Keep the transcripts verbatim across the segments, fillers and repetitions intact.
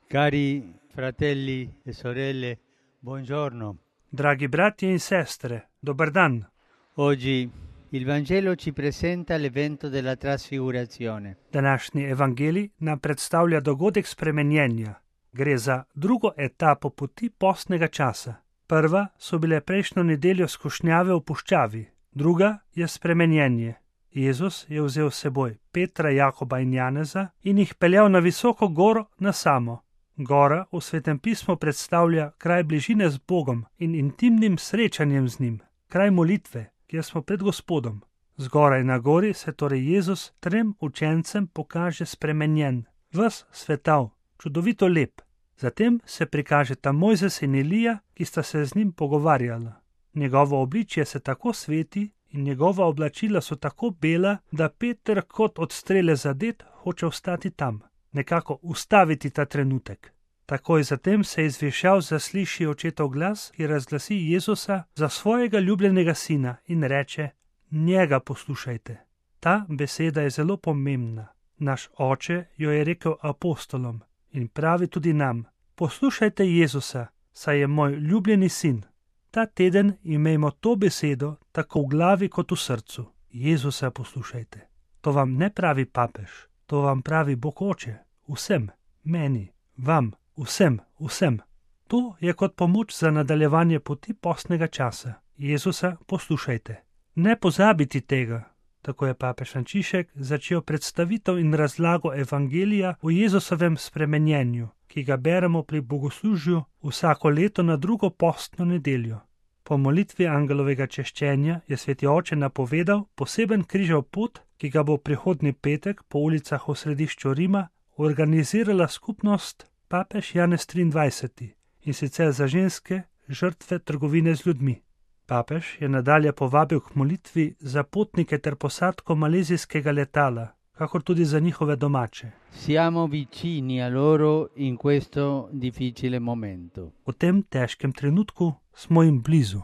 Cari fratelli e sorelle, buongiorno. Dragi bratje in sestre, dober dan. Oggi il Vangelo ci presenta l'evento della trasfigurazione. Današnji evangelij nam predstavlja dogodek spremenjenja. Gre za drugo etapo poti postnega časa. Prva so bile prejšnjo nedeljo skušnjave v puščavi, druga je spremenjenje. Jezus je vzel s seboj Petra, Jakoba in Janeza in jih peljal na visoko goro na samo. Gora v Svetem pismu predstavlja kraj bližine z Bogom in intimnim srečanjem z njim, kraj molitve, kjer smo pred Gospodom. Zgoraj na gori se torej Jezus trem učencem pokaže spremenjen, ves svetav, čudovito lep. Zatem se prikažeta Mojzes in Elija, ki sta se z njim pogovarjala. Njegovo obličje se tako sveti in njegova oblačila so tako bela, da Peter kot od strele zadet hoče ostati tam, nekako ustaviti ta trenutek. Takoj zatem se iz višav zasliši očetov glas, ki razglasi Jezusa za svojega ljubljenega sina in reče: njega poslušajte. Ta beseda je zelo pomembna. Naš oče jo je rekel apostolom in pravi tudi nam: poslušajte Jezusa, saj je moj ljubljeni sin. Ta teden imejmo to besedo tako v glavi kot v srcu. Jezusa poslušajte. To vam ne pravi papež, to vam pravi Bog oče, vsem, meni, vam, vsem, vsem. To je kot pomoč za nadaljevanje poti postnega časa. Jezusa poslušajte. Ne pozabiti tega. Tako je papež Frančišek začel predstavitev in razlago evangelija o Jezusovem spremenjenju, ki ga beremo pri bogoslužju vsako leto na drugo postno nedeljo. Po molitvi angelovega češčenja je sveti oče napovedal poseben križev pot, ki ga bo prihodnji petek po ulicah v središču Rima organizirala skupnost papež Janez triindvajseti in sicer za ženske žrtve trgovine z ljudmi. Papež je nadalje povabil k molitvi za potnike ter posadko malezijskega letala, kakor tudi za njihove domače. Siamo vicini a loro in questo difficile momento. V tem težkem trenutku smo jim blizu.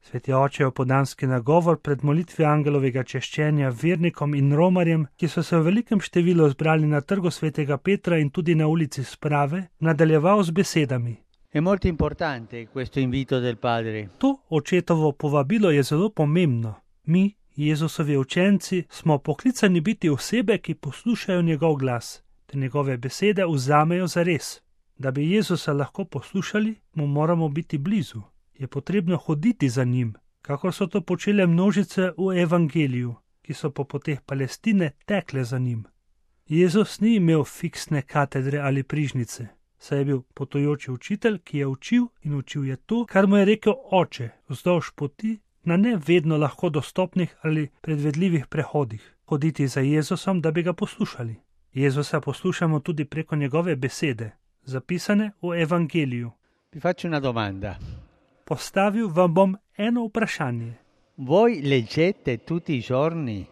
Sveti oče je opodanski nagovor pred molitvijo angelovega češčenja vernikom in romarjem, ki so se v velikem številu zbrali na trgu svetega Petra in tudi na ulici Sprave, nadaljeval z besedami: È molto importante questo invito del Padre. To očetovo povabilo je zelo pomembno. Mi, Jezusovi učenci, smo poklicani biti osebe, ki poslušajo njegov glas, te njegove besede vzamejo zares. Da bi Jezusa lahko poslušali, mu moramo biti blizu. Je potrebno hoditi za njim, kakor so to počele množice v evangeliju, ki so po poteh Palestine tekle za njim. Jezus ni imel fiksne katedre ali prižnice, saj je bil potujoči učitelj, ki je učil in učil je to, kar mu je rekel oče, vzdolž poti, na ne vedno lahko dostopnih ali predvedljivih prehodih, hoditi za Jezusom, da bi ga poslušali. Jezusa poslušamo tudi preko njegove besede, zapisane v evangeliju. Vi faccio una domanda. Postavil vam bom eno vprašanje. Voi leggete tutti i giorni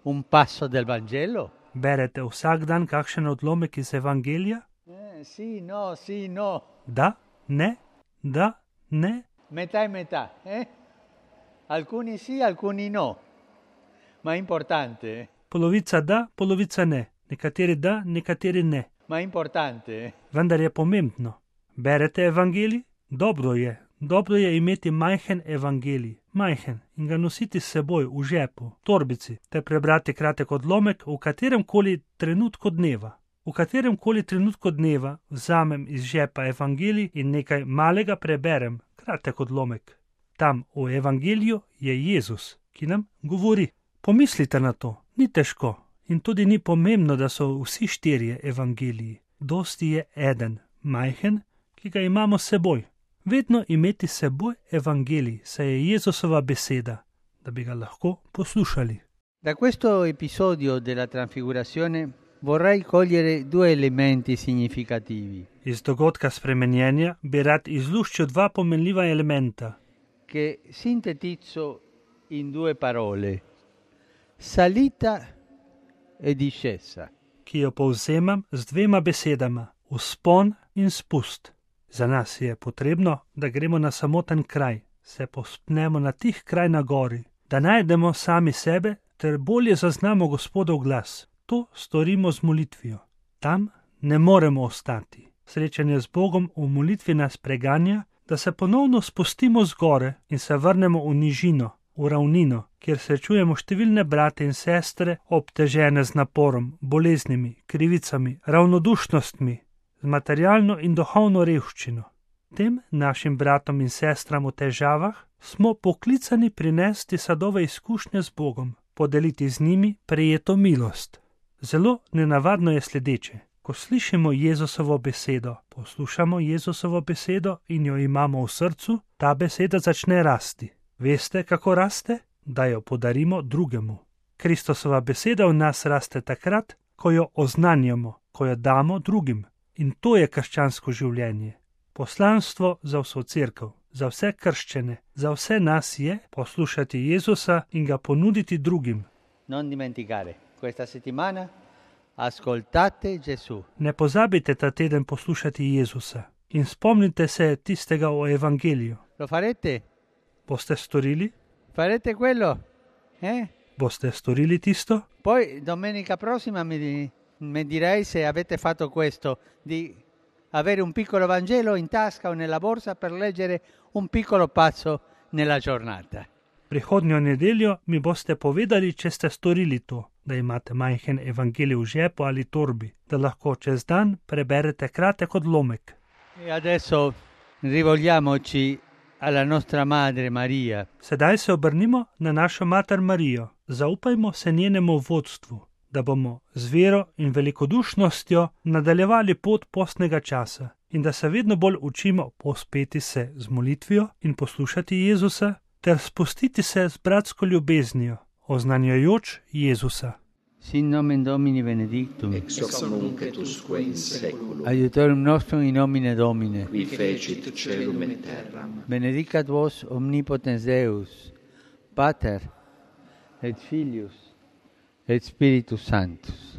un passo del Vangelo? Berete vsak dan kakšen odlomek iz evangelija? Eh, sì, no, sì, no. Da, ne, da, ne. Metà e metà, eh? Alcuni sì, alcuni no. Ma è importante, eh? Polovica da, polovica ne. Nekateri da, nekateri ne. Ma è importante, eh? Vendar je pomembno. Berete evangelij? Dobro je. Dobro je imeti majhen evangelij, majhen, in ga nositi s seboj v žepu, torbici, ter prebrati kratek odlomek v katerem koli trenutku dneva. V katerem koli trenutku dneva vzamem iz žepa evangelij in nekaj malega preberem, kratek odlomek. Tam v evangeliju je Jezus, ki nam govori. Pomislite na to, ni težko in tudi ni pomembno, da so vsi štirje evangeliji. Dosti je eden, majhen, ki ga imamo s seboj. Vedno imeti s seboj evangelij, saj je Jezusova beseda, da bi ga lahko poslušali. Da questo episodio della trasfigurazione vorrei cogliere due elementi significativi. Iz dogodka spremenjenja bi rad izluščil dva pomenljiva elementa, che sintetizzo in due parole: salita e discesa. Ki jo povzemam z dvema besedama: vzpon in spust. Za nas je potrebno, da gremo na samoten kraj, se povzpnemo na tih kraj na gori, da najdemo sami sebe ter bolje zaznamo Gospodov glas. To storimo z molitvijo. Tam ne moremo ostati. Srečanje z Bogom v molitvi nas preganja, da se ponovno spustimo z gore in se vrnemo v nižino, v ravnino, kjer srečujemo številne brate in sestre, obtežene z naporom, boleznimi, krivicami, ravnodušnostmi, z materialno in duhovno revščino. Tem našim bratom in sestram v težavah smo poklicani prinesti sadove izkušnje z Bogom, podeliti z njimi prejeto milost. Zelo nenavadno je sledeče. Ko slišimo Jezusovo besedo, poslušamo Jezusovo besedo in jo imamo v srcu, ta beseda začne rasti. Veste, kako raste? Da jo podarimo drugemu. Kristusova beseda v nas raste takrat, ko jo oznanjamo, ko jo damo drugim. In to je krščansko življenje. Poslanstvo za vso cerkev, za vse krščene, za vse nas je poslušati Jezusa in ga ponuditi drugim. Non dimenticare, questa settimana ascoltate Gesù. Ne pozabite ta teden poslušati Jezusa in spomnite se tistega o evangeliju. Lo farete? Boste storili? Farete quello? Eh? Boste storili tisto? Poi domenica prossima mi, mi direi se avete fatto questo, di avere un piccolo Vangelo in tasca o nella borsa per leggere un piccolo passo nella giornata. Prihodnjo nedeljo mi boste povedali, če ste storili to, da imate majhen evangelij v žepu ali torbi, da lahko čez dan preberete kratek odlomek. E adesso rivolgiamoci alla nostra madre Maria. Sedaj se obrnimo na našo mater Marijo. Zaupajmo se njenemu vodstvu, da bomo z vero in velikodušnostjo nadaljevali pot postnega časa in da se vedno bolj učimo pospeti se z molitvijo in poslušati Jezusa ter spustiti se z bratsko ljubeznijo, oznanjajoč Jezusa. Sin nomen Domini benedictum, ex hoc nunc et usque in seculum, aiutorium nostrum in nomine Domine, qui fecit caelum et terram. benedicat vos omnipotens Deus, Pater et Filius et Spiritus Sanctus.